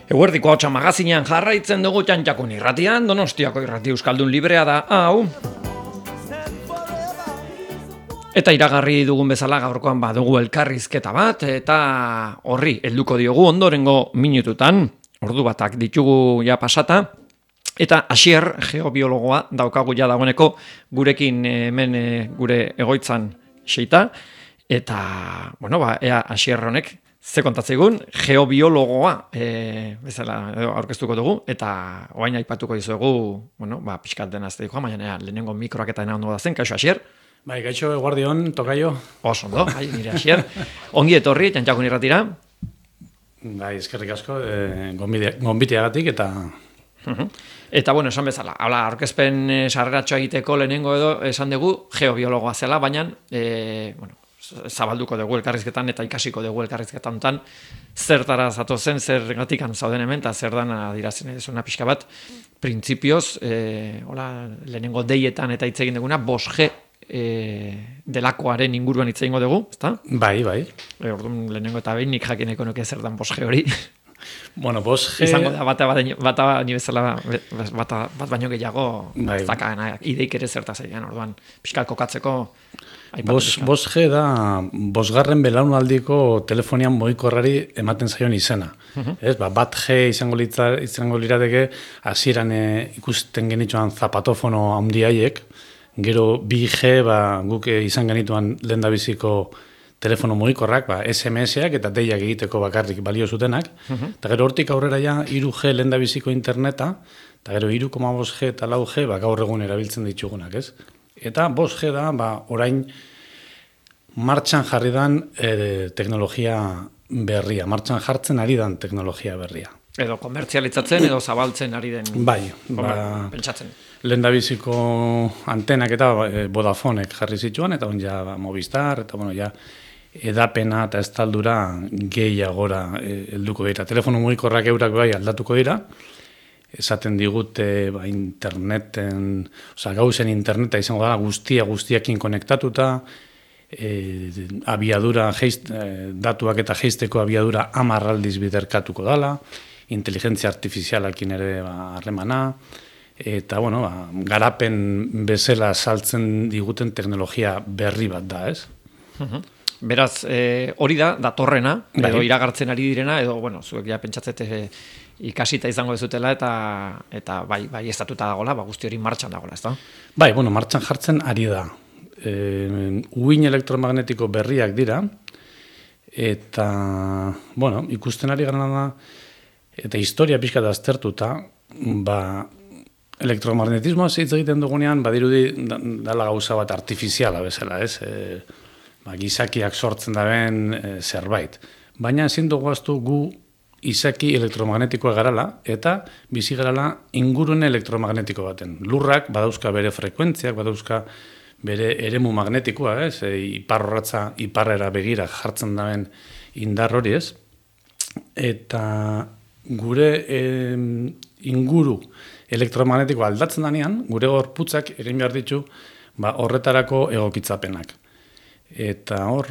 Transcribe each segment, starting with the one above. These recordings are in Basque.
Eguerdiko hotxa magazinean jarraitzen dugu Txantxakun irratian, Donostiako irrati euskaldun librea da, hau. Eta iragarri dugun bezala gaurkoan badugu elkarrizketa bat, eta horri helduko diogu ondorengo minututan, ordu batak ditugu ja pasata, eta Asier, geobiologoa, daukagu ja dagoeneko gurekin hemen gure egoitzan xeita, eta, bueno, ea Asier honek, ze kontatzeigun, geobiologoa bezala aurkeztuko dugu, eta oain aipatuko dizuegu, bueno, pixkat dena ez dikoa, baina lehenengo mikroak eta ondo da zen, kaixo Asier? Bai, kaixo, eguardion, tokaio. Oso ondo, nire Asier. Ongi etorri, Txantxakun irratira. Bai, eskerrik asko, gonbiteagatik eta... Eta, bueno, esan bezala, aurkezpen sarreratxoa egiteko lehenengo edo esan dugu geobiologoa zela, baina, bueno, zabalduko dugu elkarrizketan eta ikasiko dugu elkarrizketan zertara zatozen, zergatikan zauden hemen, eta zer dan adirazen edizuna pixka bat, printzipioz, lehenengo deietan eta hitz egin duguna, 5G delakoaren inguruan hitz egingo dugu, ezta? Bai, bai. Orduan, lehenengo eta behin nik jakineko nuke zer dan 5G hori. Bueno, 5G... Izango da, bat baino gehiago, bai. Ideik ere zertaz egin, orduan, pixka kokatzeko... 5G da, 5. belaunaldiko telefonian mugikorrari ematen zaion izena. Ez, bat G izango lirateke, hasieran ikusten genituan zapatofono handiaiek, gero 2G guk izan genituan lehendabiziko telefono mugikorrak, SMS-ak eta deiak egiteko bakarrik balio zutenak, eta gero hortik aurrera ja 3G lehendabiziko interneta, eta gero 3,5G eta 4G gaur egun erabiltzen ditugunak, ez? Eta 5G da, orain martxan jarri dan teknologia berria, martxan jartzen ari dan teknologia berria. Edo komertzialitzatzen edo zabaltzen ari den. Bai, pentsatzen. Lehendabiziko antenak eta Vodafonek jarri zituan, eta Movistar, eta ja, edapena eta estaldura gehiagora helduko dira. Telefono mugikorrak eurak bai aldatuko dira, esaten digute interneten, gauzen interneta izango da guztiakin konektatuta, abiadura, datuak eta jeisteko abiadura 10 aldiz biderkatuko dala, inteligentzia artifizialakin ere harremana, eta garapen bezala saltzen diguten teknologia berri bat da, ez? Beraz, hori da, datorrena, edo iragartzen ari direna, edo, zuek ja pentsatzete ikasita izango dezutela, eta bai estatuta dagoela, guzti hori martxan dagoela, ez da? Bai, martxan jartzen ari da. Uin elektromagnetiko berriak dira, eta, ikusten ari gana da, eta historia pixka da aztertuta, elektromagnetismoa hitz egiten dugunean, badirudi dala gauza bat artifiziala bezala, ez? Gizakiak sortzen daben zerbait. Baina ezin dugu aztu gu izaki elektromagnetikoa garala, eta bizi garala ingurune elektromagnetiko baten. Lurrak badauzka bere frekuentziak, badauzka bere eremu magnetikoa, ez? Iparrorratza iparrera begira jartzen daben indar hori, ez? Eta gure inguru elektromagnetiko aldatzen danean, gure gorputzak egin behar ditu horretarako egokitzapenak. Eta hor,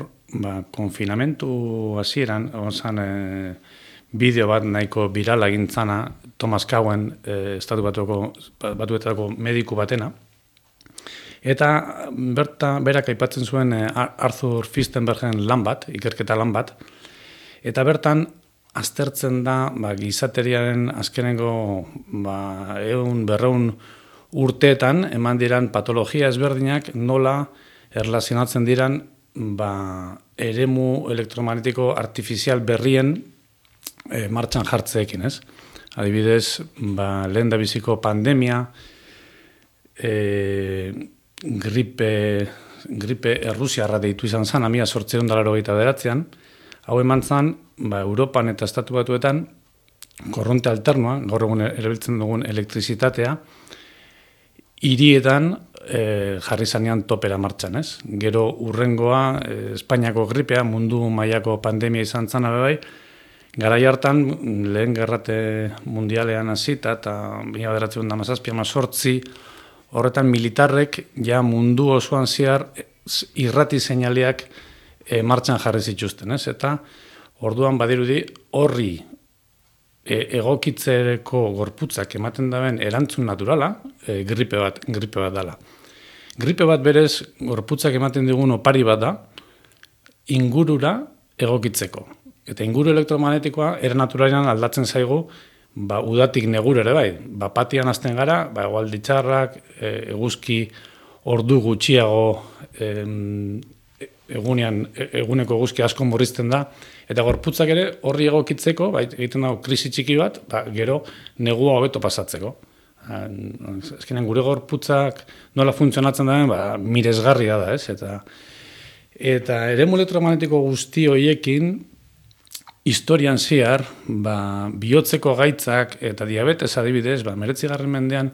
konfinamentu hasieran, bideo bat nahiko birala egintzana Thomas Cowan, estatu batuetako mediku batena, eta berak aipatzen zuen Arthur Fichtenbergen lan bat, ikerketa lan bat, eta bertan aztertzen da gizateriaren azkenengo 100-200 urteetan eman diran patologia ezberdinak nola erlazionatzen diran eremu elektromagnetiko artifizial berrien martxan jartzeekin, ez? Adibidez, lehendabiziko pandemia, gripe errusiarra deitu izan zen, 1889an, hau eman zen, Europan eta estatu batuetan, korronte alternoa, gaur egun erabiltzen dugun elektrizitatea, hirietan jarri zanean topera martxan, ez? Gero urrengoa, Espainiako gripea, mundu mailako pandemia izan zen, garai hartan, lehen gerrate mundialean hasita, eta 1917 horretan militarrek ja mundu osoan zehar irrati seinaleak martxan jarri zituzten, ez? Eta orduan badirudi horri egokitzeko gorputzak ematen daben erantzun naturala, gripe bat dela. Gripe bat berez gorputzak ematen digun opari bat da, ingurura egokitzeko. Eta inguru elektromagnetikoa era naturalean aldatzen zaigu, udatik negur ere bai. Patian hasten gara, egualdi txarrak, eguzki ordu gutxiago eguneko eguzki asko murrizten da, eta gorputzak ere horri egokitzeko, egiten dago krisi txiki bat, gero negua hobeto pasatzeko. Azkenean gure gorputzak nola funtzionatzen da, miresgarria da, ez? Eta eremu elektromagnetiko guzti horiekin, historian zehar, bihotzeko gaitzak eta diabetes adibidez, 19. mendean,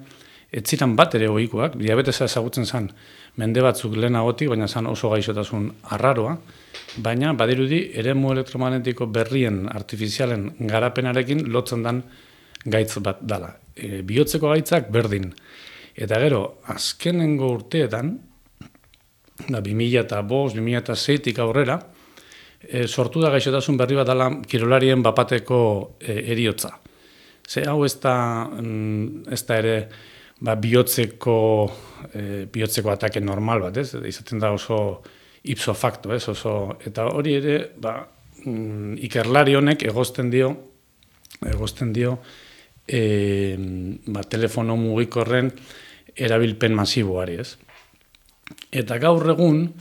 ez ziren bat ere ohikoak, diabetesa ezagutzen zen mende batzuk lehenagotik, baina zen oso gaixotasun arraroa, baina badirudi eremu elektromagnetiko berrien artifizialen garapenarekin lotzen den gaitz bat dala. Bihotzeko gaitzak berdin. Eta gero, azkenengo urteetan, 2005, 2006tik aurrera, sortu da gaixotasun berri bat dala kirolarien bapateko heriotza. Ze hau ez da ere bihotzeko atake normal bat, ez? Izaten da oso ipso facto, ez? Eta hori ere, ikerlari honek egozten dio telefono mugikorren erabilpen masiboari, ez? Eta gaur egun,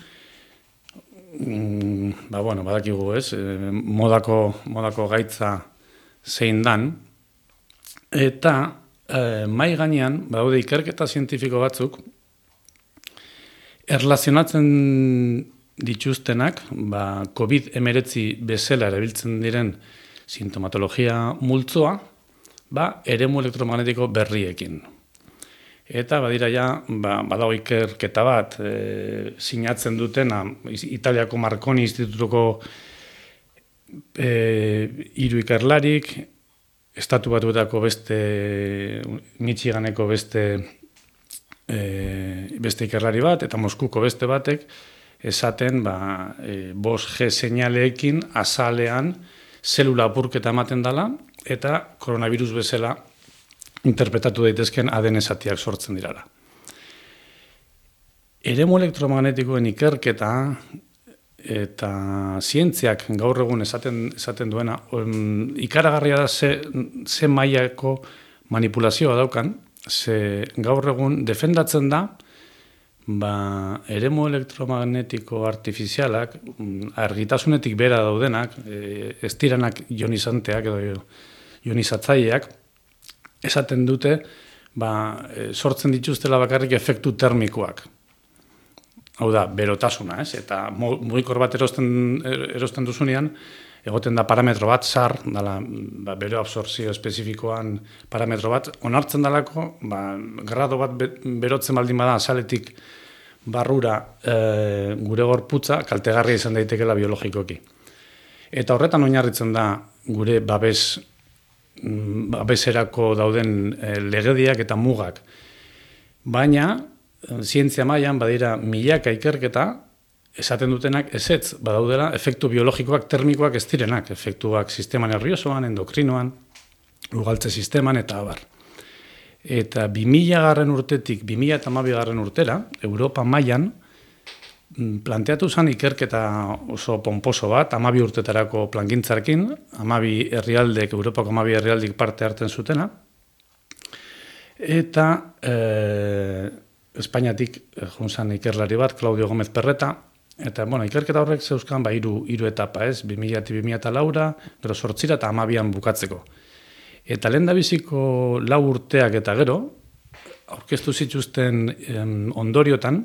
badakigu, ez? Modako gaitza zein dan, eta mai gainean, badaude ikerketa zientifiko batzuk, erlazionatzen dituztenak, COVID-19 bezala erabiltzen diren sintomatologia multzoa, eremu elektromagnetiko berriekin. Eta badira badago ikerketa bat, sinatzen dutena, Italiako Marconi Institutuko 3 ikerlarik, Estatu Batuetako beste, Michiganeko beste ikerlari bat, eta Moskuko beste batek, esaten 5G seinaleekin azalean zelula apurketa ematen dela, eta koronavirus bezala interpretatu daitezken ADN zatiak sortzen dirala. Eremu elektromagnetikoen ikerketa eta zientziak gaur egun esaten duena, ikaragarria da ze mailako manipulazioa daukan, ze gaur egun defendatzen da, eremu elektromagnetiko artifizialak, argitasunetik bera daudenak, ez diranak ionizanteak edo ionizatzaileak, esaten dute, sortzen dituztela bakarrik efektu termikoak. Hau da, berotasuna, ez? Eta mugikor bat erosten duzunean, egoten da parametro bat, SAR, bero absortzio espezifikoan parametro bat, onartzen dalako, grado bat berotzen baldin bada azaletik barrura gure gorputza, kaltegarria izan daitekela biologikoki. Eta horretan oinarritzen da gure babeserako dauden legediak eta mugak. Baina, zientzia mailan badira milaka ikerketa, esaten dutenak ezetz, badaudela efektu biologikoak, termikoak ez direnak, efektuak sistema nerviosoan, endokrinoan, ugaltze sisteman eta abar. Eta 2000 urtetik 2012 urtera, Europa mailan, planteatu zen ikerketa oso pomposo bat, 12 urtetarako plangintzarkin, 12 herrialdek, Europako 12 herrialdik parte hartzen zutena, eta Espainiatik junzan ikerlari bat, Claudio Gómez Perreta, eta ikerketa horrek zeuzkan hiru etapa, ez? 2000-2004, gero 8 eta 12an bukatzeko. Eta lehendabiziko 4 urteak eta gero, aurkeztu zituzten ondoriotan,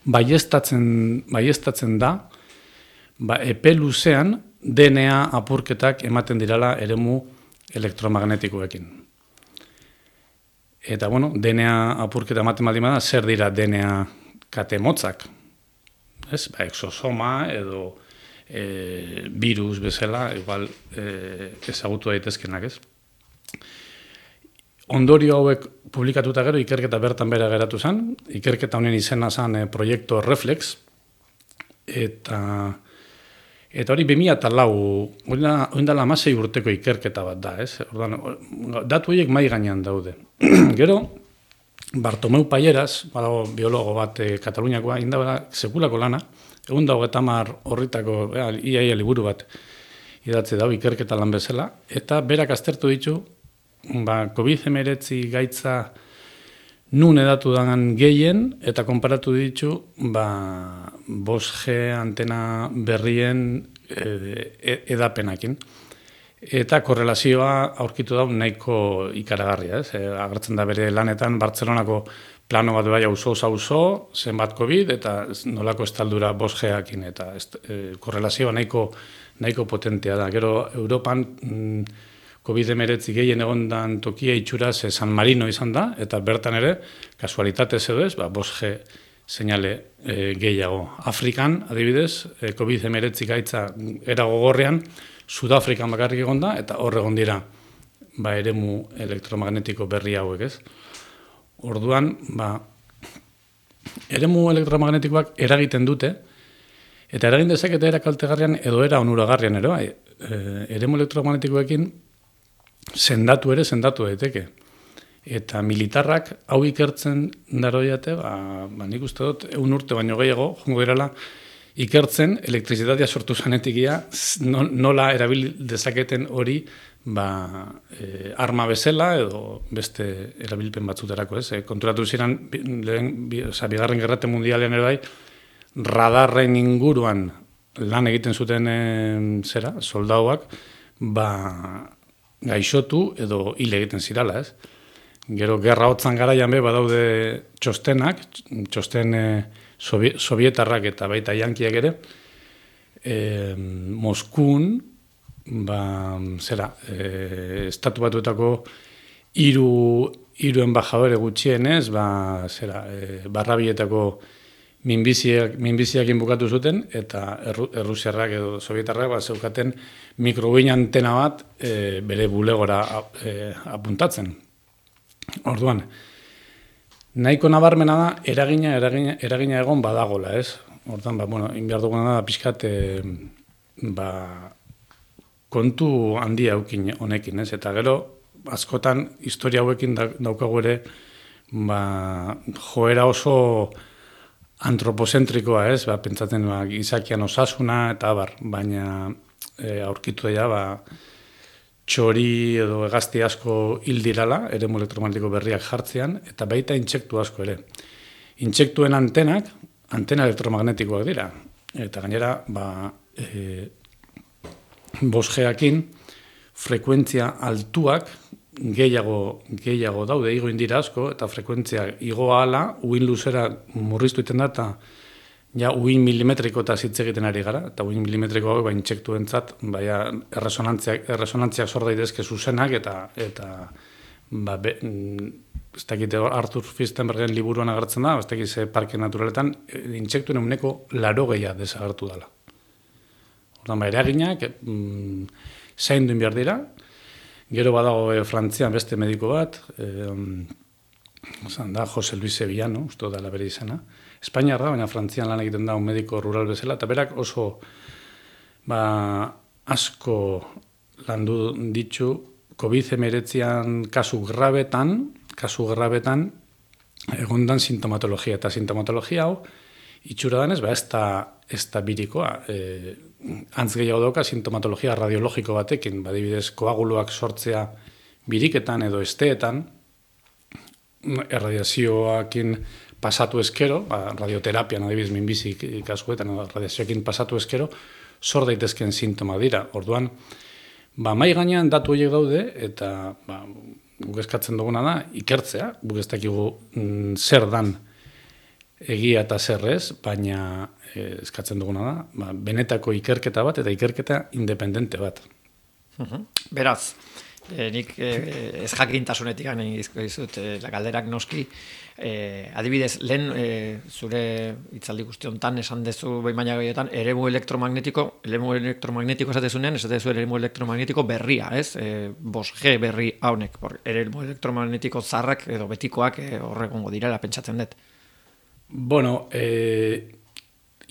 baieztatzen da, epe luzean DNA apurketak ematen dirala eremu elektromagnetikoekin. Eta, DNA apurketa ematen baldin bada, zer dira DNA kate motzak? Ez? Exosoma edo virus bezala, igual ezagutu daitezkenak, ez? Ondorio hauek publikatuta gero, ikerketa bertan bera geratu zen. Ikerketa honen izena zen Proiektu Reflex. Eta hori 2004, hori dela 16 urteko ikerketa bat da, ez? Ordan, datu horiek mai gainean daude. Gero, Bartomeu Payeras, badago biologo bat Kataluniakoa, indabera sekulako lana, 130 horritako iaia liburu bat idatzi dago ikerketa lan bezala, eta berak aztertu ditu, COVID-19 gaitza nun edatu dagan gehien, eta konparatu ditu 5G antena berrien edapenakin. Eta korrelazioa aurkitu da nahiko ikaragarria, ez? Agertzen da bere lanetan Bartzelonako plano bat bai auzo, zenbat COVID, eta nolako estaldura 5G-akin, eta korrelazioa nahiko potentea da. Gero, Europan COVID-19 gehien egondan tokia itxuraz San Marino izan da, eta bertan ere, kasualitatez edo ez, 5G seinale gehiago. Afrikan, adibidez, COVID-19 gaitza era gogorrean, Sudafrikan bakarrik egon da, eta hor egon dira eremu elektromagnetiko berri hauek, ez? Orduan, eremu elektromagnetikoak eragiten dute, eta eragin dezakete era kaltegarrian edo era onuragarrian ere, eremu elektromagnetikoekin sendatu daiteke. Eta militarrak hau ikertzen daroiate, nik uste dut, 1 urte baino gehiago, jongo direla, ikertzen elektrizitatea sortu zanetikia nola erabil dezaketen hori arma bezala edo beste erabilpen batzuterako, ez? Konturatu ziren, bigarren gerrate mundialean ere bai, radarren inguruan lan egiten zuten soldauak, gaixotu edo hil egiten zirala, ez? Gero, gerra hotzan garaian badaude txosten sovietarrak eta baita jankiak ere, Moskun, estatu batuetako 3 embajadore gutxienez, barrabietako minbiziakin bukatu zuten, eta errusiarrak edo sovietarrak zeukaten mikroguin antena bat bere bulegora apuntatzen. Orduan, nahiko nabarmena da, eragina egon badagola, ez? Hortan, inbiar duguna da, pixkat, kontu handia eukin honekin, ez? Eta gero, askotan, historia hauekin daukagu ere, joera oso antropozentrikoa, ez? Pentsatzen, gizakian osasuna, eta baina aurkitu da, txori edo hegazti asko hil dirala, eremu elektromagnetiko berriak jartzean, eta baita intsektu asko ere. Intsektuen antena elektromagnetikoak dira. Eta gainera, 5G-akin frekuentzia altuak gehiago daude, igo indira asko, eta frekuentzia igoa ala, uin luzera murriztu iten da, eta uin milimetriko eta hitz egiten ari gara, eta uin milimetriko hau intsektu entzat, erresonantziak sor daitezke zuzenak, eta ez dakite Arthur Firstenbergen liburuan agertzen da, ez dakite parke naturaletan, intsektuen eguneko 80 desagertu dela. Ordan eraginak, zaindu behar dira, gero badago Frantzian beste mediko bat, da Jose Luis Sevillano, uste dela bere izena, Espainiar da, baina Frantzian lan egiten da un mediko rural bezala, eta berak oso asko landu ditu COVID-19 kasu grabetan egondan sintomatologia. Eta sintomatologia hau, itxura danez, ez da birikoa. Antz gehiago dauka sintomatologia radiologiko batekin, badibidez koaguluak sortzea biriketan edo esteetan, erradiazioakin pasatu eskero, radioterapian adibidez minbizik kasuetan, radiazioakin pasatu eskero, sor daitezken sintoma dira. Orduan, mai gainean datu horiek daude, eta guk eskatzen duguna da, ikertzea, guk ez dakigu zer dan egia eta zer ez, baina eskatzen duguna da, benetako ikerketa bat eta ikerketa independente bat. Beraz, nik ez jakintasunetik gane izut, galderak noski, adibidez, lehen zure hitzaldi guzti honetan esan dezu behin baina gehietan, eremu elektromagnetiko esatezunean, esatezu eremu elektromagnetiko berria, ez? 5G berri haunek, eremu elektromagnetiko zarrak edo betikoak horregongo direla pentsatzen dut. Bueno,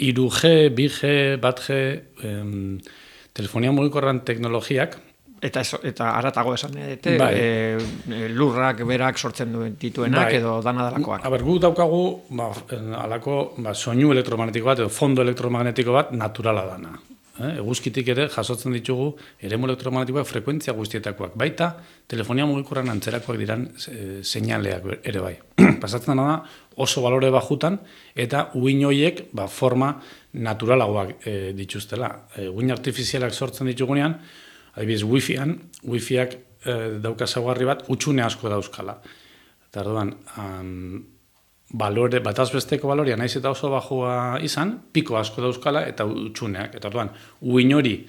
3G, 2G, 1G, telefonia mugikorran teknologiak, Eta aratago esan edete, lurrak berak sortzen dituenak edo dana dalakoak. Gu daukagu alako soinu elektromagnetiko bat edo fondo elektromagnetiko bat naturala dana. Eguzkitik ere jasotzen ditugu eremu elektromagnetikoak frekuentzia guztietakoak. Baita telefonia mugikorran antzerakoak diran seinaleak ere bai. Pasatzen da oso balore bajutan eta uhin horiek forma naturalagoak dituztela. Uhin artifizialak sortzen ditugunean, adibidez, wifiak dauka ezaugarri bat, utxune asko dauzkala. Eta orduan, batazbesteko balorea naiz eta oso bajua izan, piko asko dauzkala eta utxuneak. Eta orduan, uhin hori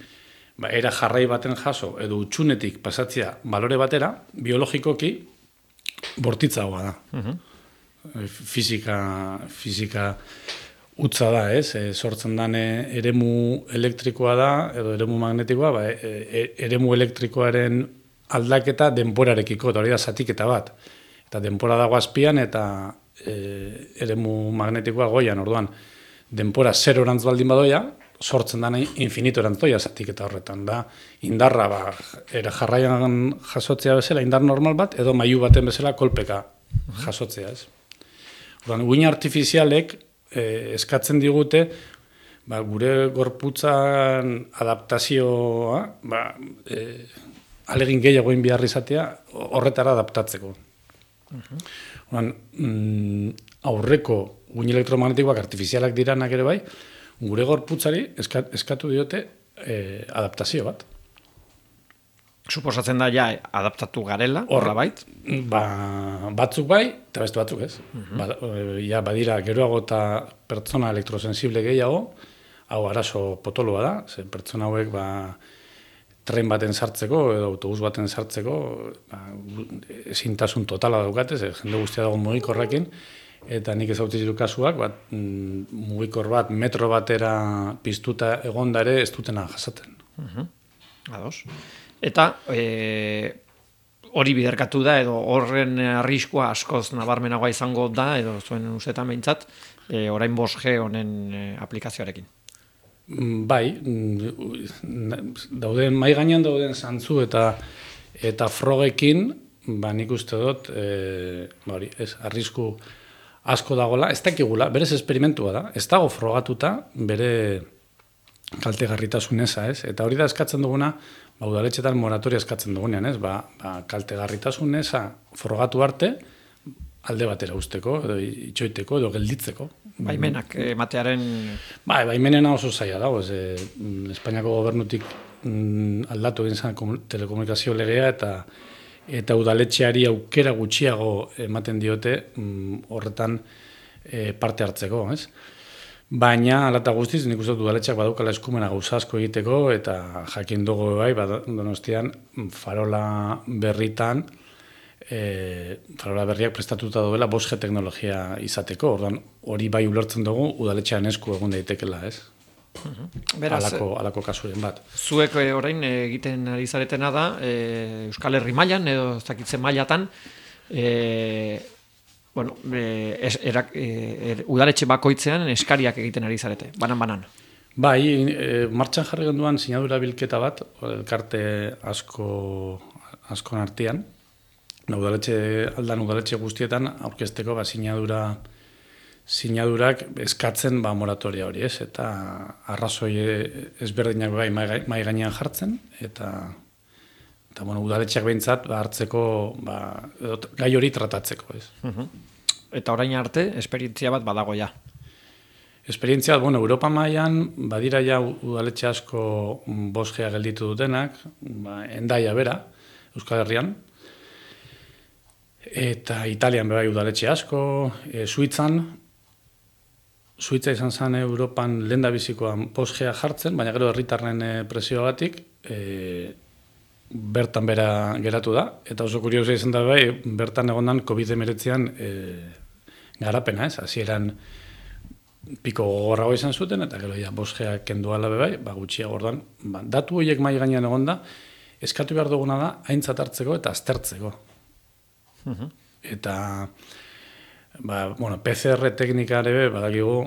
era jarrai baten jaso edo utxunetik pasatzea balore batera, biologikoki bortitzagoa da. Fizika utza da, sortzen dan eremu elektrikoa da, edo eremu magnetikoa, eremu elektrikoaren aldaketa denporarekiko, eta hori da zatiketa bat. Eta denpora dago azpian, eta eremu magnetikoa goian, orduan, denpora 0 orantz baldin badoia, sortzen dan infinito orantz doia zatiketa horretan. Da, indarra, jarraian jasotzea bezala, indar normal bat, edo mailu baten bezala kolpeka jasotzea, ez. Orduan, uhin artifizialek, eskatzen digute gure gorputzan adaptazioa alegin gehiago egin behar izatea horretara adaptatzeko. Aurreko uhin elektromagnetikoak artifizialak diranak ere bai, gure gorputzari eskatu diote adaptazio bat. Suposatzen da adaptatu garela, horra bait? Batzuk bai, eta beste batzuk ez. Badira geroago eta pertsona elektrosensible gehiago, hau arazo potoloa da, ze pertsona hauek tren baten sartzeko edo autobus baten sartzeko ezintasun totala daukate, ze jende guztia dago mugikorrekin, eta nik ezautzen ditu kasuak, mugikor bat metro batera piztuta egonda ere ez dutena jasaten. Ados. Eta hori biderkatu da, edo horren arriskua askoz nabarmenagoa izango da, edo zuen ustetan behintzat, orain 5G honen aplikazioarekin. Bai, mai gainean dauden zantzu eta frogekin, nik uste dut, arrisku asko dagoela, ez dakigula, berez esperimentua da, ez dago frogatuta bere kaltegarritasun eza, ez? Eta hori da eskatzen duguna, udaletxetan moratoria eskatzen dugunean, ez? Kaltegarritasun eza frogatu arte, alde batera usteko, edo itxoiteko, edo gelditzeko. Baimenak, ematearen... Baimenena oso zaila dago, Espainiako gobernutik aldatu egin zen telekomunikazio legea, eta udaletxeari aukera gutxiago ematen diote horretan parte hartzeko, ez? Baina, alata guztiz, nik uste dut udaletxeak badaukala eskumena gauza asko egiteko, eta jakin dugu Donostian, farola berritan, farola berriak prestatuta duela 5G teknologia izateko, orduan hori bai ulertzen dugu udaletxean esku egun daitekela, ez? Alako kasuren bat. Zuek orain egiten ari zaretena da, Euskal Herri mailan edo ez dakitzen mailatan, udaletxe bakoitzean eskariak egiten ari zarete, banan. Bai, martxan jarri genduan sinadura bilketa bat, elkarte askon artean, udaletxe guztietan aurkezteko sinadurak eskatzen moratoria hori, ez? Eta arrazoi ezberdinak bai mai gainean jartzen, eta udaletxeak behintzat hartzeko gai hori tratatzeko, ez? Eta orain arte, esperientzia bat badago ja. Esperientzia, Europa mailan badira ja udaletxe asko 5G gelditu dutenak, Hendaia bera, Euskal Herrian, eta Italian bai udaletxe asko, Suitza izan zen Europan lehendabizikoan 5G jartzen, baina gero herritarren presioagatik bertan bera geratu da, eta oso kuriosa izan da bai, bertan egondan COVID-19an garapena, ez? Hasieran piko gogorrago izan zuten, eta gero 5G kenduala bai, gutxiago ordan. Datu horiek mai gainean egonda, eskatu behar duguna da, aintzat hartzeko eta aztertzeko. Eta, PCR teknika ere badakigu,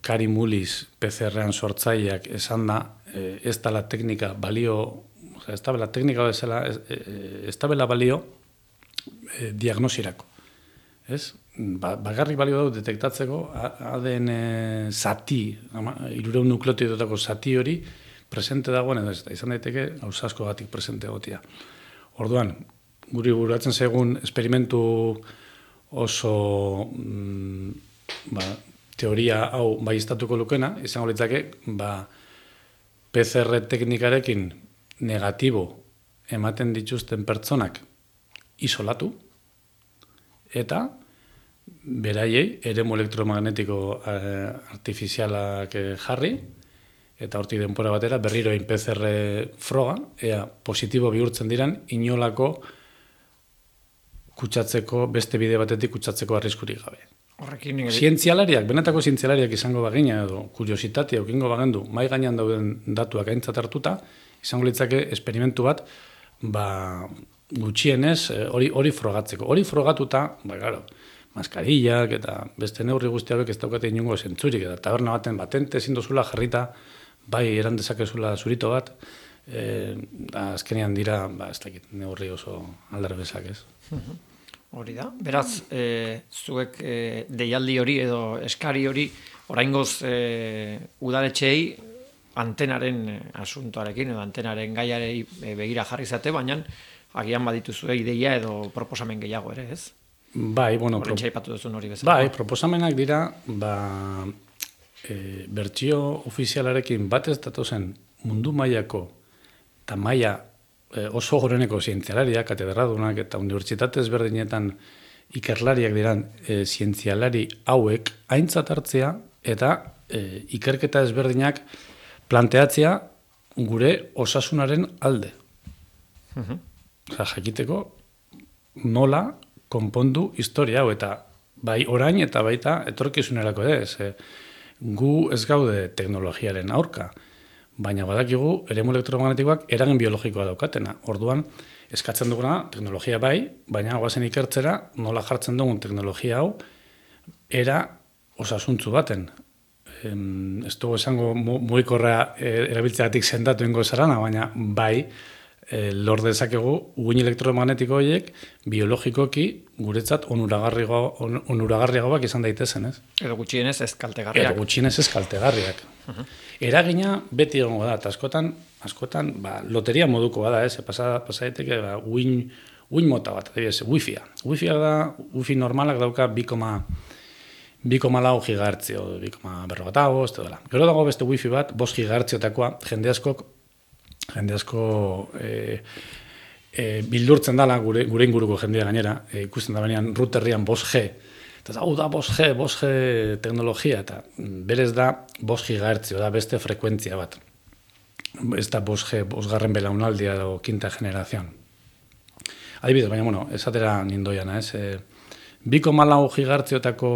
Kari Mullis PCR-an sortzaileak esan da, ez dela teknika balio, ez da bela teknika bezala, ez da bela balio diagnosirako. Ez? Bagarrik balio dut detektatzeko ADN zati, 300 nukleotidotako zati hori presente dagoen, edo izan daiteke gauza askogatik presente egotia. Orduan, guri buratzen segun esperimentu oso teoria hau baieztatuko lukena, izango litzake, PCR teknikarekin negatibo ematen dituzten pertsonak isolatu, eta beraiei eremu elektromagnetiko artifizialak jarri, eta hortik denpora batera berriro egin PCR froga, ea positibo bihurtzen diran, inolako kutsatzeko, beste bide batetik kutsatzeko arriskurik gabe. Zientzialariak, benetako zientzialariak izango bagina edo kuriositatea okingo bagendu, mai gainean dauden datuak aintzat hartuta, izango litzake esperimentu bat, gutxienez hori frogatzeko. Hori frogatuta, claro, maskarillak eta beste neurri guztiak ez daukate inongo zentzurik, eta taberna baten batente ezin dozula jarrita, bai eran dezakezula zurito bat, azkenean dira, ez dakit, neurri oso aldarbesak, ez? Hori da. Beraz, zuek deialdi hori edo eskari hori oraingoz udaletxeei antenaren asuntoarekin edo antenaren gaiarei begira jarri zate, baina agian badituzue ideia edo proposamen gehiago ere, ez? Bai, bueno, proposamenak dira, bertsio ofizialarekin batez datozen mundu mailako eta maila oso goreneko zientzialariak, katedradunak eta unibertsitate ezberdinetan ikerlariak diran zientzialari hauek aintzat hartzea eta ikerketa ezberdinak planteatzea gure osasunaren alde. Jakiteko nola konpondu historia hau, eta bai orain eta baita etorkizunerako ere. Gu ez gaude teknologiaren aurka, baina badakigu eremu elektromagnetikoak eragin biologikoa daukatena. Orduan, eskatzen duguna teknologia bai, baina goazen ikertzera nola jartzen dugun teknologia hau era osasuntzu baten. Ez dugu esango mugikorra erabiltzeagatik sendatu ingo zarana, baina bai lor dezakegu uin elektromagnetiko horiek biologikoki guretzat onuragarriagoak izan daitezen, ez? Edo gutxienez ez kaltegarriak. Eragina beti egongo da, eta askotan loteria moduko da, ez? Pasa daiteke uin mota bat, wifi-a. Wifi normalak dauka 2,4 gigahertzio, 2,45, edo dela. Gero dago beste wifi bat, 5 gigahertziotakoa, jende asko bildurtzen dela gure inguruko jendea gainera, ikusten da benean routerrian 5G, eta hau da 5G teknologia, eta berez da 5 gigahertzio, da beste frekuentzia bat. Ez da 5G, 5garren belaunaldia edo quinta generazion. Adibidez, baina, esatera nindoiana, ez? 2,4 gigahertziotako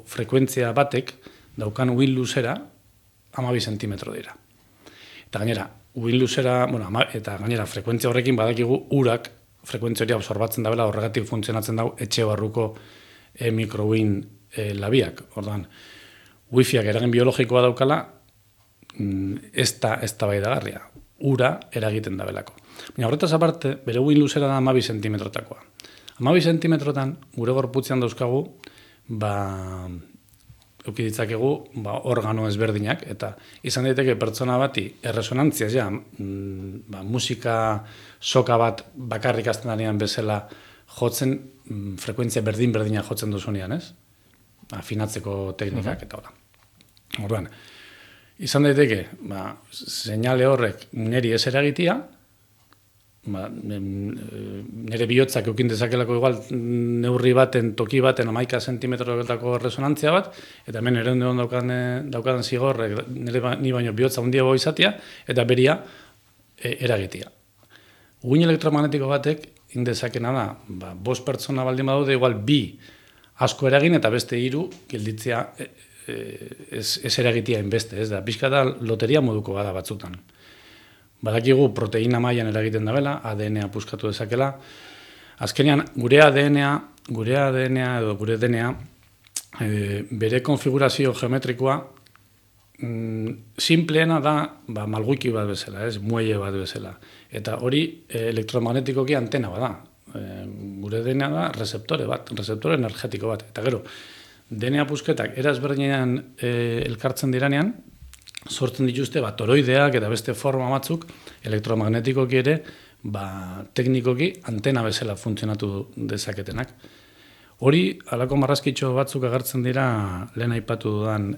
frekuentzia batek daukan uin luzera 12 zentimetro dira. Eta gainera, uin luzera, eta gainera frekuentzia horrekin badakigu urak frekuentzia hori absorbatzen dabela, horregatik funtzionatzen dau etxe barruko mikrouin labiak. Orduan, wifiak eragin biologikoa daukala, ez da bai dagarria. Ura eragiten dabelako. Baina horretaz aparte, bere uin luzera da 12 zentimetrotakoa. 12 zentimetrotan, gure gorputzean dauzkagu, eukiditzakegu organo ezberdinak, eta izan daiteke pertsona bati erresonantzia, musika soka bat bakarrik azten danean bezala jotzen, frekuentzia berdina jotzen duzunean, ez? Afinatzeko teknikak eta hola. Orduan, izan daiteke, seinale horrek niri ez eragitia, nire bihotzak eukin dezakelako igual neurri baten, toki baten 11 zentimetrotako resonantzia bat, eta hemen ere daukadan zigorrek ni baino bihotza handiago izatea, eta beria eragitea. Uin elektromagnetiko batek indezakena da, 5 pertsona baldin badaude, igual 2 asko eragin, eta beste 3 gelditzea ez eragitea inbeste, ez da, pixka da loteria moduko bada batzutan. Badakigu proteina mailan eragiten dabela, ADN-a puskatu dezakela. Azkenean, gure ADN-a edo gure DNA bere konfigurazio geometrikoa Simpleena da, malguiki bat bezala, muelle bat bezala. Eta hori elektromagnetikoki antena bada. Gure DNA da receptore energetiko bat. Eta gero, DNA pusketak erazberdinean elkartzen diranean, sortzen dituzte toroideak eta beste forma batzuk elektromagnetikoki ere teknikoki antena bezala funtzionatu dezaketenak. Hori, halako marrazkitxo batzuk agertzen dira lehen aipatu dudan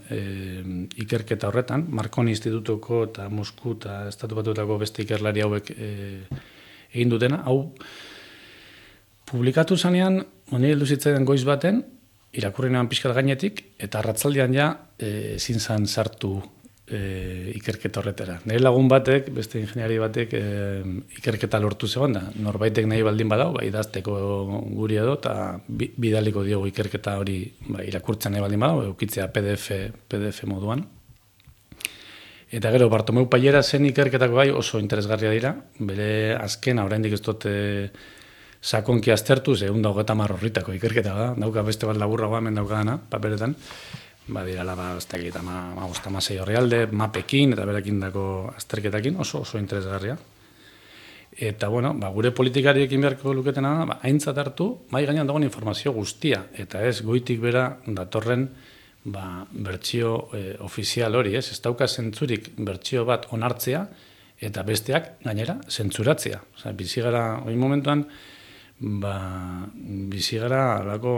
ikerketa horretan, Marconi Institutuko eta Mosku eta Estatu Batuetako beste ikerlari hauek egin dutena. Hau, publikatu zanean, honi heldu zitzaidan goiz baten, irakurri nean pixkat gainetik, eta arratzaldean ja ezin zan sartu ikerketa horretara. Nire lagun batek, beste ingeniari batek ikerketa lortu zegoen da. Norbaitek nahi baldin badau, idazteko guri edo, eta bidaliko diogu ikerketa hori irakurtzen nahi baldin badau, eukitzea PDF moduan. Eta gero, Bartomeu Paiera zen ikerketako gai oso interesgarria dira, bere azkena oraindik ez dut sakonki aztertu, 130 horritako ikerketa da, dauka beste bat laburragoa hemen daukadana, paperetan, dirala, ez dakit, 5-6 orrialde, mapekin eta berekin dako azterketakin, oso interesgarria. Eta, gure politikariekin beharko luketena da, aintzat hartu, mai gainean dagoen informazio guztia, eta ez goitik bera datorren bertsio ofizial hori, ez dauka zentzurik bertsio bat onartzea, eta besteak gainera zentzuratzea. Bizigara, hori momentuan, bizigara alako,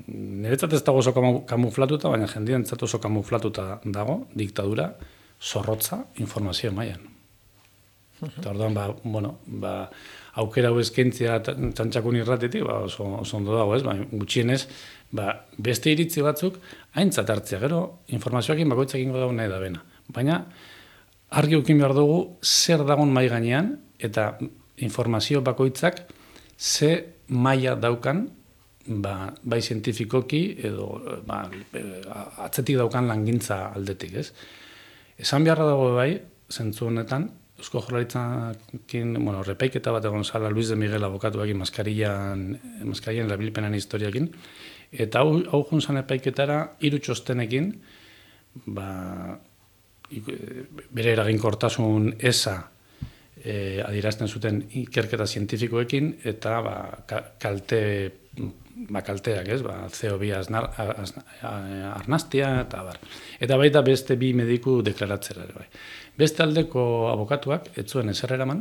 niretzat ez dago oso kamuflatuta, baina jendientzat oso kamuflatuta dago, diktadura, zorrotza, informazio mailan. Eta orduan, aukera hau eskaintzea txantxakun irratetik, oso ondo dago ez, gutxienez, beste iritzi batzuk, aintzat hartzea, gero, informazioakin bakoitzakin dago nahi da bena. Baina, argi ukin behar dugu, zer dagon mai gainean, eta informazio bakoitzak, ze maila daukan, bai zientifikoki, edo atzetik daukan langintza aldetik, ez? Esan beharra dago bai, zentzu honetan, Eusko Jaurlaritzakin, repaiketa bat egon zala Luis de Miguel abokatuakin maskarien erabilpenen historiakin, eta hau juntzan epaiketara 3 txostenekin, bere eraginkortasun eza adierazten zuten ikerketa zientifikoekin, eta kalteak, ez? CO2 arnastia, eta bar. Eta baita beste 2 mediku deklaratzera ere bai. Beste aldeko abokatuak, ez zuen ezer eraman,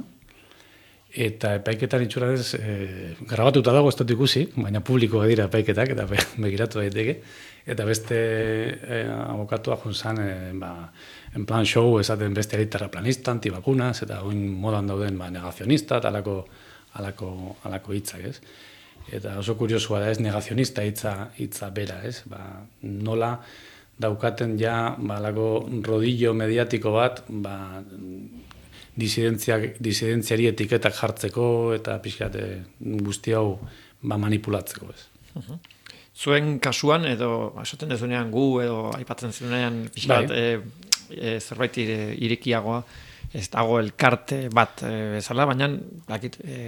eta epaiketan itxuranez grabatuta dago ez dut ikusi, baina publikoa dira epaiketak, eta begiratu daiteke, eta beste abokatua juntzan, en plan show esaten beste terraplanista, antibakunas, eta oin modan dauden negazionista, eta alako hitzak, ez? Eta oso kuriosua da ez, negazionista hitza bera, ez? Nola daukaten ja alako rodillo mediatiko bat, disidentziari etiketak jartzeko eta pixkat guzti hau manipulatzeko, ez? Zuen kasuan, edo esaten dezunean gu, edo aipatzen zenuean pixkat zerbait irekiagoa, ez dago elkarte bat bezala, baina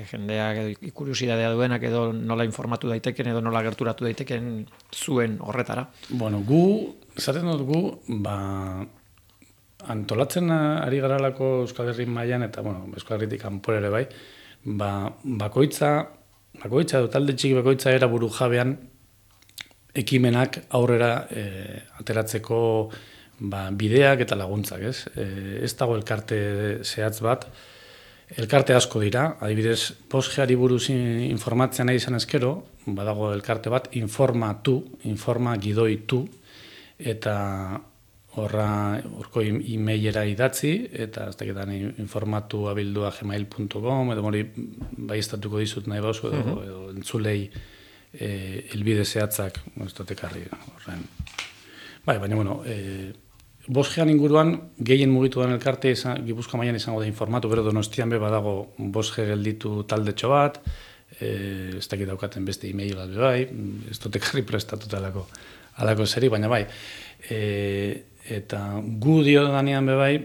jendeak ikuriosidadea duenak edo nola informatu daiteken edo nola gerturatu daiteken zuen horretara. Gu, esaten dut gu, antolatzen ari garalako Euskal Herri mailan eta Euskal Herritik kanpora ere bai, bakoitza edo talde txiki bakoitza era buru jabean ekimenak aurrera ateratzeko bideak eta laguntzak, ez? Ez dago elkarte zehatz bat, elkarte asko dira, adibidez, posgeari buruz informatzea nahi izan ezkero, badago elkarte bat, informa gidoitu, eta horko e-mailera idatzi, eta ez dakitan informatu abildua gmail.com, edo hori bai estatuko dizut nahi bauzu, edo entzulei elbide zehatzak, ez dut ekarri horren. Baina, Bosgean inguruan, gehien mugitu den elkarte, Gipuzkoa mailan izango da informatu, gero Donostian be badago Bosge gelditu taldetxo bat, ez dakit daukaten beste e-mail bat bai, ez dut ekarri prestatuta alako zeri, baina bai, eta gu dio danean be bai,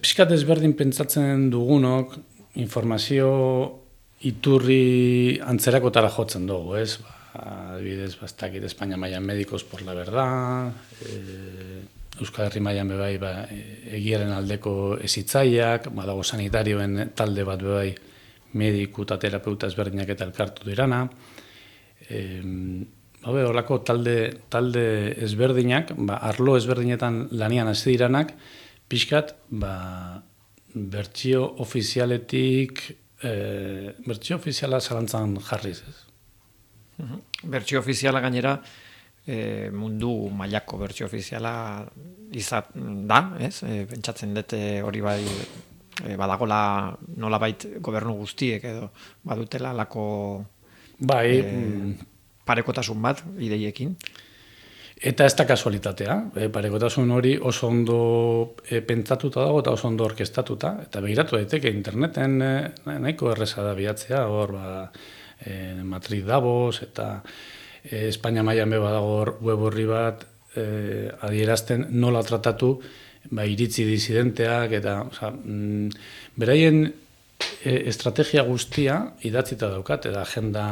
pixkat ezberdin pentsatzen dugunok, informazio iturri antzerakotara jotzen dugu, ez? adibidez, bastakit Espainia mailan Médicos por la Verdad, Euskal Herri mailan bebai egiaren aldeko ezitzaileak, badago sanitarioen talde bat bebai mediku eta terapeuta ezberdinak eta elkartu dirana. Horrelako talde ezberdinak, arlo ezberdinetan lanian hasi diranak, pixkat, bertsio ofizialetik, bertsio ofiziala zalantzan jarriz, ez? Bertsio ofiziala gainera, mundu mailako bertsio ofiziala izan da, ez? Pentsatzen dut hori bai badagola nolabait gobernu guztiek edo badutela lako parekotasun bat ideiekin. Eta ez da kasualitatea, parekotasun hori oso ondo pentsatuta dago eta oso ondo orkestatuta, eta begiratu daiteke interneten nahiko erreza da bilatzea, hor Madrid Davos eta Espainia mailan badago web horri bat adierazten nola tratatu iritzi disidenteak eta beraien estrategia guztia idatzita daukat, eta agenda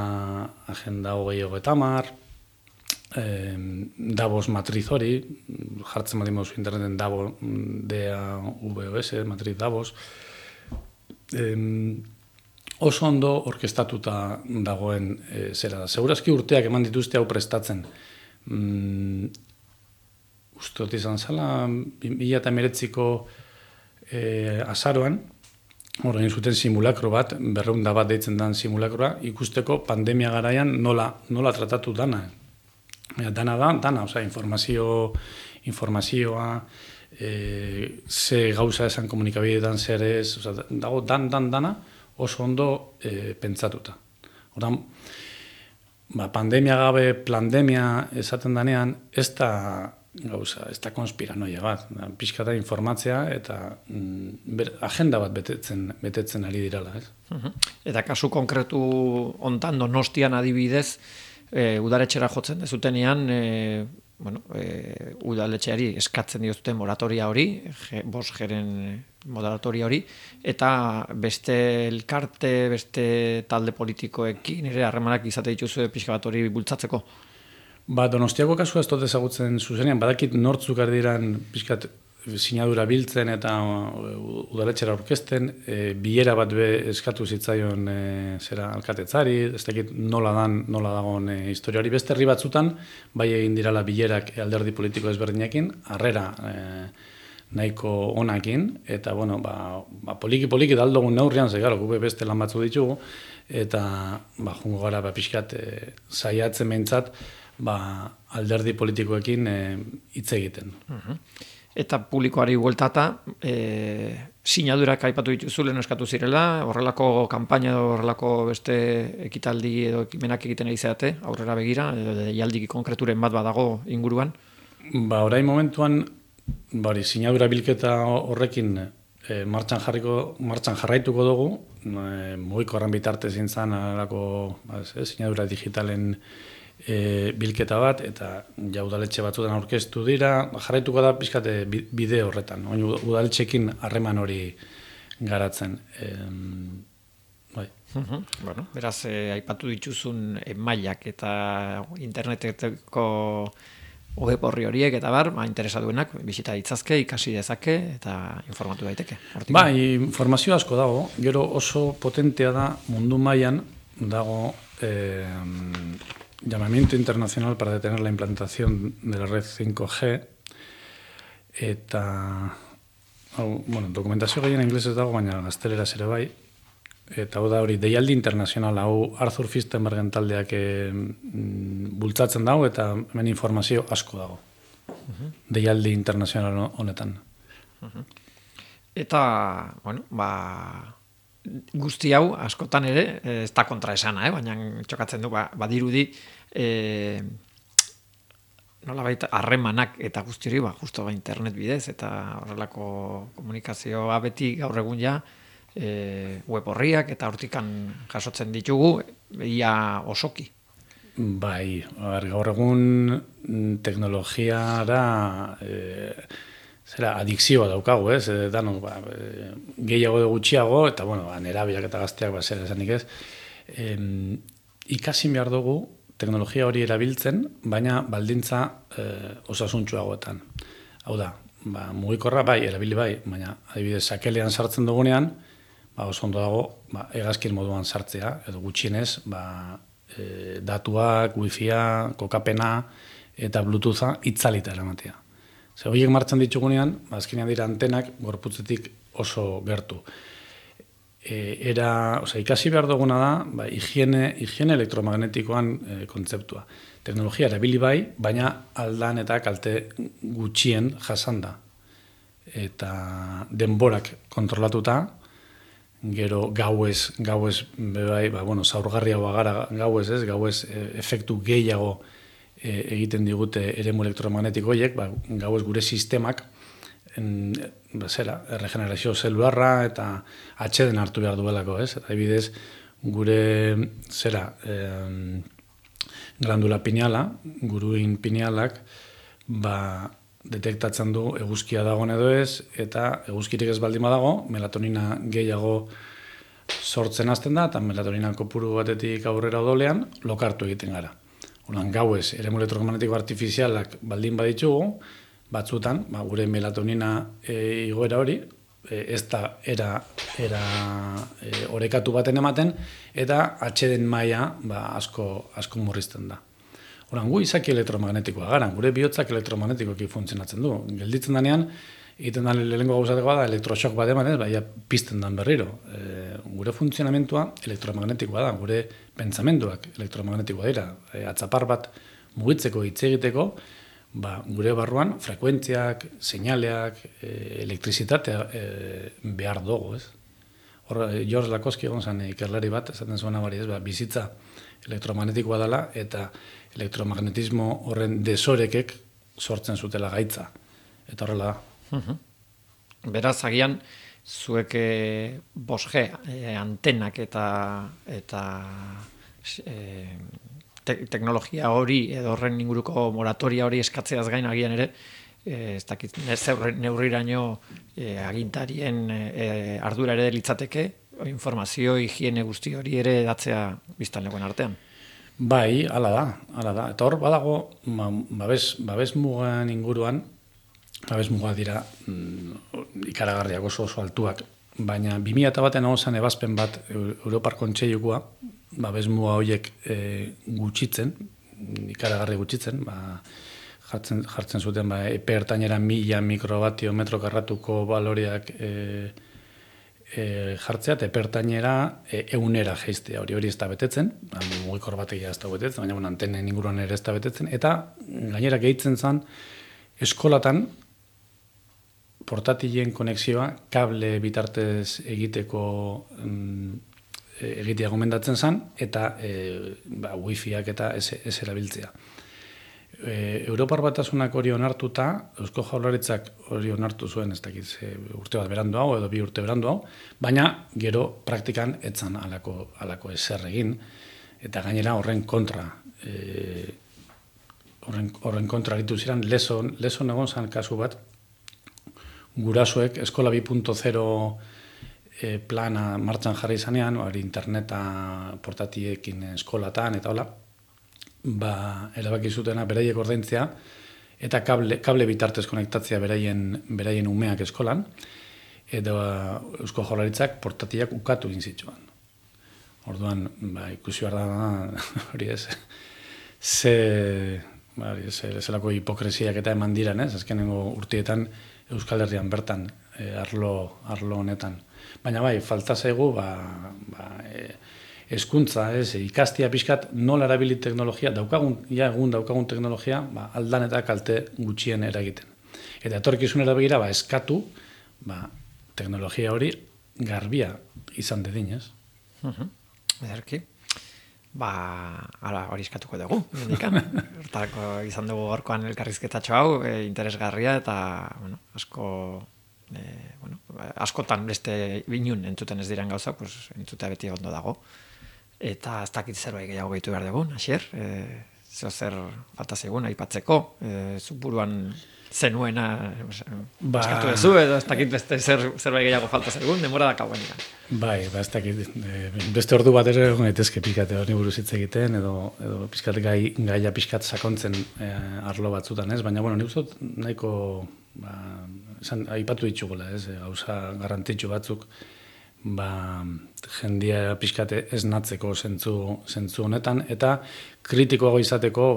2030, Davos matriz hori, jartzen badimo zu interneten Davos, DAVOS, Madrid Davos, oso ondo orkestatuta dagoen zera da. Segurazki urteak eman dituzte hau prestatzen. Uste dut izan zala, 2019ko azaroan, hor egin zuten simulakro bat, 200 bat deitzen den simulakroa, ikusteko pandemia garaian nola tratatu dana. Dana, informazioa, ze gauza esan komunikabideetan zer ez, dago dana oso ondo pentsatuta. Hortan, pandemia gabe, plandemia esaten danean, ez da gauza, ez da konspiranoia bat, pixka da informatzea eta agenda bat betetzen ari dirala, ez? Eta kasu konkretu hontan Donostian adibidez, udaletxera jotzen dezutenean, udaletxeari eskatzen diozuten moratoria hori, 5Gren moratoria hori, eta beste elkarte, beste talde politikoekin, ere harremanak izate dituzu pixka bat hori bultzatzeko? Donostiako kasua ez dut ezagutzen zuzenean, badakit nortzuk ardiran pixkat sinadura biltzen eta udaletxera aurkezten, bilera bat eskatu zitzaion alkatetzari, ez dakit nola dagoen historia hori. Beste herri batzutan, bai egin dirala bilerak alderdi politiko ezberdinekin, harrera nahiko onakin, eta poliki daldogun neurrian, gube beste lan batzu ditugu, eta jungo gara pixkat saiatzen behintzat, alderdi politikoekin hitz egiten. Eta publikoari bueltata, sinadurak aipatu dituzu lehen eskatu zirela, horrelako kanpaina edo horrelako beste ekitaldi edo ekimenak egiten ari zeate, aurrera begira, edo deialdi konkreturen bat badago inguruan? Orain momentuan, sinadura bilketa horrekin martxan jarraituko dugu, mugiko horren bitartez zintzen sinadura digitalen bilketa bat, eta udaletxe batzutan aurkeztu dira, jarraituko da pixkate bide horretan, udaletxekin harreman hori garatzen. Beraz, aipatu dituzun mailak eta interneteko web horri horiek eta interesatuenak bisita ditzazke, ikasi dezake eta informatu daiteke. Informazio asko dago, gero oso potentea da mundu mailan dago llamamiento internacional para detener la implantación de la red 5G eta dokumentazio gehien inglesez dago, baina gazteleraz ere bai, eta hori deialdi internazional, Arthur Firstenbergen taldeak bultzatzen dago, eta hemen informazio asko dago. Deialdi internazional honetan. Eta, guzti hau, askotan ere, ez da kontraesana, baina txokatzen du, badirudi, nolabait harremanak eta guzti hori, justo internet bidez, eta horrelako komunikazioa beti gaur egun ja, web horriak eta hortikan jasotzen ditugu, ia osoki. Gaur egun teknologiara adikzioa daukagu, ez? Gehiago edo gutxiago, eta nerabeak eta gazteak zera esanik ez. Ikasin behar dugu teknologia hori erabiltzen, baina baldintza osasuntsuagoetan. Hau da, mugikorra bai, erabili bai, baina adibidez sakelean sartzen dugunean, oso ondo dago hegazkin moduan sartzea, edo gutxienez, datuak, wifia, kokapena eta bluetootha itzalita eramatea. Horiek martxan ditugunean, azkenean dira antenak gorputzetik oso gertu. Ikasi behar duguna da, higiene elektromagnetikoan kontzeptua. Teknologia erabili bai, baina aldan eta kalte gutxien jasan da. Eta denborak kontrolatuta, gero gauez bai, zaurgarriagoa gara gauez efektu gehiago egiten digute eremu elektromagnetikoiek, gauez gure sistemak regenerazio zelularra eta atxeden hartu behar duelako, ez? Eta ebidez, gure glandula pineala, guruin pinealak, detektatzen du eguzkia dagoen edo ez, eta eguzkirik ez baldin badago, melatonina gehiago sortzen hasten da, eta melatonina kopuru batetik aurrera odolean, lokartu egiten gara. Orduan, gauez, eremu elektromagnetiko artifizialak baldin baditugu, batzutan, gure melatonina igoera hori, ez da era orekatu baten ematen, eta atxeden maila asko murrizten da. Orduan, gu izaki elektromagnetikoa gara, gure bihotzak elektromagnetikoki funtzionatzen du. Gelditzen danean, egiten da lehenengo gauzateko da, elektroshock bat eman, pizten dan berriro. Gure funtzionamentua elektromagnetikoa da, gure pentsamenduak elektromagnetikoa dira. Atzapar bat mugitzeko, hitz egiteko, gure barruan frekuentziak, seinaleak, elektrizitatea behar dugu, ez? George Lakowski egon zen ikerlari bat, esaten zuen abari, bizitza elektromagnetikoa dela, eta elektromagnetismo horren desorekek sortzen zutela gaitza. Eta horrela da. Beraz, agian, zuek 5G antenak eta teknologia hori edo horren inguruko moratoria hori eskatzeaz gain agian ere, ez dakit, neurriraino agintarien ardura ere litzateke, informazio, higiene guzti hori ere datzea biztanlegoen artean. Bai, hala da. Eta hor badago, babes mugan inguruan, babes muga dira ikaragarriak oso altuak, baina 2001 egon zen ebazpen bat Europar Kontseilukoa, babes muga horiek gutxitzen, ikaragarri gutxitzen, jartzen zuten epe ertainera 1000 mikrobatio metro karratuko baloreak jartzea, eta epe ertainera 100 jeistea, hori ez da betetzen, mugikor bategia ez da betetzen, baina antenen inguruan ere ez da betetzen, eta gainera gehitzen zen eskolatan portatilen konexioa kable bitartez egiteko egitea gomendatzen zen, eta wifiak eta ez erabiltzea. Europar Batasunak hori onartuta, Eusko Jaurlaritzak hori onartu zuen, ez dakit urte bat berandu hau, edo 2 urte berandu hau, baina gero praktikan etzan halako ezer egin, eta gainera horren kontra aritu ziren, lezon egon zen kasu bat, gurasoek eskola 2.0 plana martxan jarri izanean, interneta portatiekin eskolatan eta hola, erabaki zutena beraiek ordaintzea eta kable bitartez konektatzea beraien umeak eskolan, eta Eusko Jaurlaritzak portatiak ukatu egin zituen. Orduan, ikusi behar da, hori ez, zelako hipokresiak eta eman diran, ez? Azkenengo urtietan Euskal Herrian bertan arlo honetan. Baina falta zaigu hezkuntza, ikastia pixkat nola erabili teknologia, egun daukagun teknologia, aldan eta kalte gutxien eragiten. Eta etorkizunera begira, eskatu, teknologia hori garbia izan dedin, ez? Ederki. Hori eskatuko dugu. Hortarako izan dugu gorkoan elkarrizketatxo hau, interesgarria eta askotan beste binun entzuten ez diren gauza, entzutea beti ondo dago. Eta ez dakit zerbait gehiago gehitu behar dugun, Asier, zer falta zegoen aipatzeko, zuk buruan zenuena eskatu duzu, edo ez dakit beste zerbait gehiago falta zegoen, denbora da kauenika. Bai, ez dakit, beste ordu bat ere gaitezke pixkate hori buruz hitz egiten, edo pixkat gaia pixkat sakontzen arlo batzutan, ez? Baina, bueno, nik uste nahiko aipatu ditugula, ez? Gauza garrantzitsu batzuk, jendia pixkate ez natzeko zentzu honetan, eta kritikoago izateko,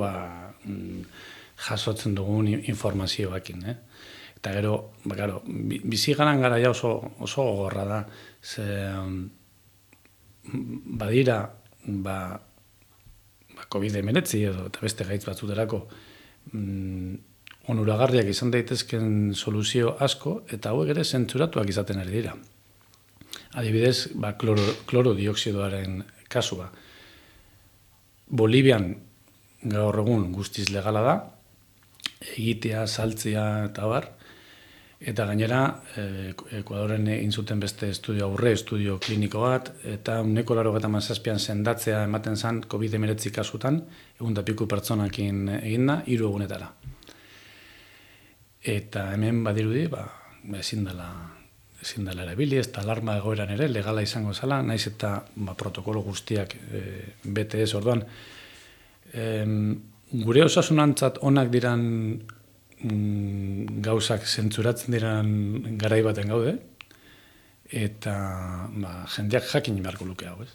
jasotzen dugun informazioakin, Eta gero, bizigaran garaia oso gogorra da, ze badira, COVID-19 edo eta beste gaitz batzuterako onuragarriak izan daitezken soluzio asko, eta hauek ere zentzuratuak izaten ari dira. Adibidez, klorodioksidoaren kasua. Bolivian gaur egun guztiz legala da, egitea, saltzea eta bar, eta gainera Ekuadoren egin zuten beste estudio kliniko bat, eta 187an sendatzea ematen zen COVID-19 kasutan, 100 pertsonakin eginda, 3 egunetara. Eta hemen badirudi, ezin dela erabili, ez da alarma egoeran ere, legala izango zela, naiz eta protokolo guztiak bete ez orduan. Gure osasunantzat onak diran gauzak zentzuratzen diran garai baten gaude, eta jendeak jakin beharko luke hau, ez?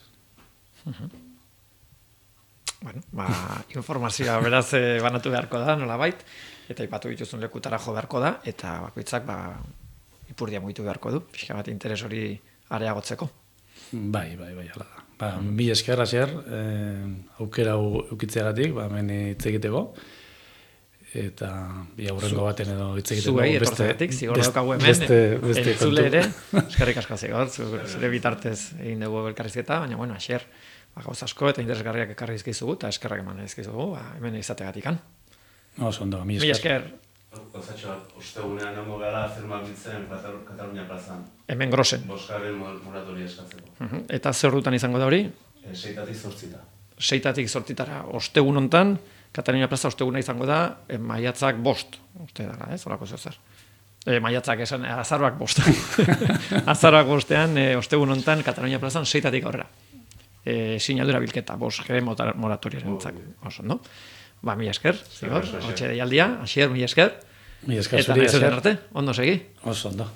Bueno, informazioa beraz banatu beharko da, nolabait, eta ipatu dituzun lekutara jo beharko da, eta bakoitzak ipurdia mugitu beharko du, pixka bat interes hori areagotzeko. Bai, hala da. Mila esker, Asier, aukera eukitzeagatik, hemen hitz egiteko, eta aurrengo baten edo hitz egiteko. Zuei, etortzegatik, zigor daukagu hemen, entzule ere, eskerrik asko zigor, zure bitartez egin dugu elkarrizketa, baina, bueno, Asier, gauz asko eta interesgarriak ekarri izkizugu, eta eskerrak eman izkizugu, hemen izategatikan. Oso ondo, mila esker. Kozatxo bat, ostegunean nengo gara firma biltzen Katalunia plazan. Hemen grosen. Bosgarren moratoria eskatzeko. Eta zer dutan izango da hori? 6-tatik 8. 6-tatik 8 ostegun hontan, Katalunia plaza osteguna izango da, maiatzak 5, uste dara, ez? Horako zer. Maiatzak esan, azaroak 5. Azaroak 5ean, ostegun hontan, Katalunia plazan 6-tatik aurrera. Sinadura bilketa, Bosgarren moratoriaren entzak. Oso, no? Mila esker, zigor, hotxe deialdia, Asier, mila esker. Mila esker, eta nahi zen arte, ondo segi. Oso, ondo.